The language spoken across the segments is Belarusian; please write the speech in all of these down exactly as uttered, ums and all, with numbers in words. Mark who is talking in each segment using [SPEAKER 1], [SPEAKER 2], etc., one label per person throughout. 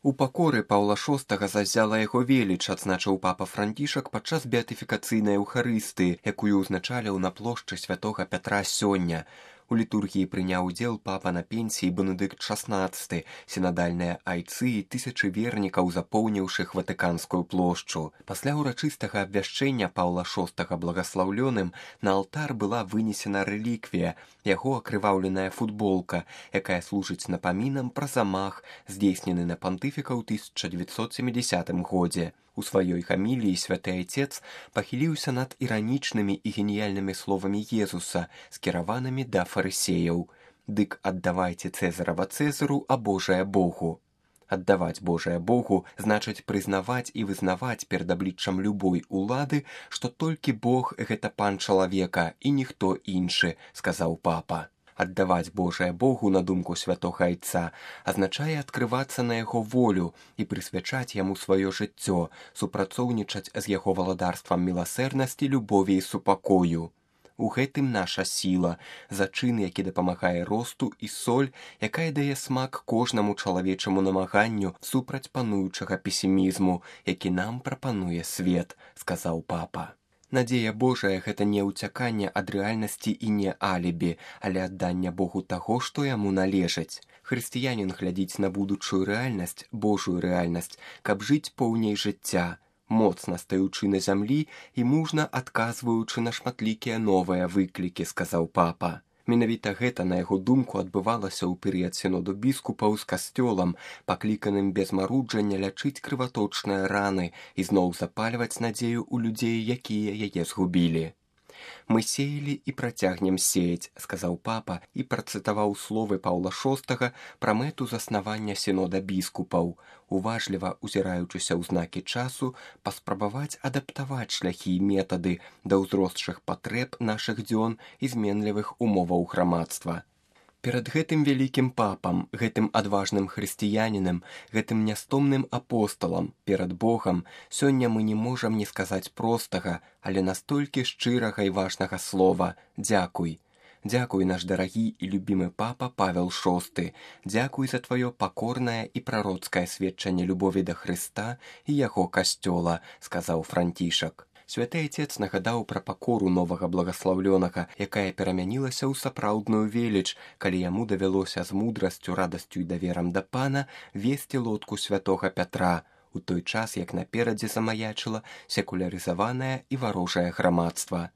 [SPEAKER 1] У пакоры Паўла шостага заззяла яго веліч, адзначыў папа Францішак падчас беатыфікацыйнай эўхарыстыі, якую ўзначаліў на плошчы святога Пятра сёння. У літургіі прыняў удзел папа на пенсіі Бенедыкт шаснаццаты, сінадальныя айцы і тысячы вернікаў, запоўніўшых Ватыканскую плошчу. Пасля ўрачыстага абвяшчэння Паўла шостага благаслаўлёным на алтар была вынесена рэліквія, яго акрываўленая футболка, якая служыць напамінам пра замах, здзейснены на пантыфіка ў тысяча дзевяцьсот сямідзясятым годзе. У сваёй хаміліі святы айцец пахіліўся над іранічнымі і геніяльнымі словамі Езуса, скіраванымі да фарысеяў. «Дык аддавайце Цэзарава Цэзару, а Божае Богу». Аддаваць Божае Богу значыць прызнаваць і вызнаваць перад абліччам любой улады, што толькі Бог – гэта пан чалавека і ніхто іншы, сказаў папа. Аддаваць Божае Богу, на думку святога айца, азначае адкрывацца на яго волю і прысвячаць яму сваё жыццё, супрацоўнічаць з яго валадарствам міласэрнасці, любові і супакою. У гэтым наша сіла, зачын, які дапамагае росту, і соль, якая дае смак кожнаму чалавечаму намаганню супраць пануючага песімізму, які нам прапануе свет, сказаў папа. Надзея Божая – гэта не ўцяканне ад рэальнасці і не алібі, але адданне Богу таго, што яму належыць. Хрысціянін глядзіць на будучую рэальнасць, Божую рэальнасць, каб жыць поўней жыцця, моцна стаючы на зямлі і мужна адказваючы на шматлікія новыя выклікі, сказаў папа. Менавіта гэта, на яго думку, адбывалася ў перыяд сіноду біскупаў з касцёлам, пакліканым без маруджання лячыць крываточныя раны і зноў запальваць надзею ў людзей, якія яе згубілі. «Мы сеялі і працягнем сеяць», – сказаў папа і працытаваў словы Паўла шостага пра мэту заснавання сінода біскупаў, уважліва узіраючыся ў знакі часу, паспрабаваць адаптаваць шляхі і метады да ўзросшых патрэб нашых дзён і зменлівых умоваў грамадства. Перад гэтым вялікім папам, гэтым адважным хрысціянінам, гэтым нястомным апосталам, перад Богам, сёння мы не можам не сказаць простага, але настолькі шчырага і важнага слова «дзякуй». Дзякуй, наш дарагі і любімы папа Павел шосты. Дзякуй за тваё пакорнае і прароцкае сведчанне любові да Хрыста і яго касцёла, сказаў Францішак. Святы айцец нагадаў пра пакору новага благаслаўлёнага, якая перамянілася ў сапраўдную веліч, калі яму давялося з мудрасцю, радасцю і даверам да пана весці лодку святога Пятра, у той час, як наперадзе замаячыла секулярызаванае і варожае грамадства.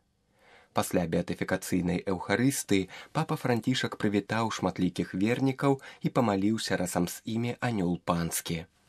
[SPEAKER 1] Пасля беатыфікацыйнай эўхарыстыі папа Францішак прывітаў шматлікіх вернікаў і памаліўся разам з імі анёл панскі.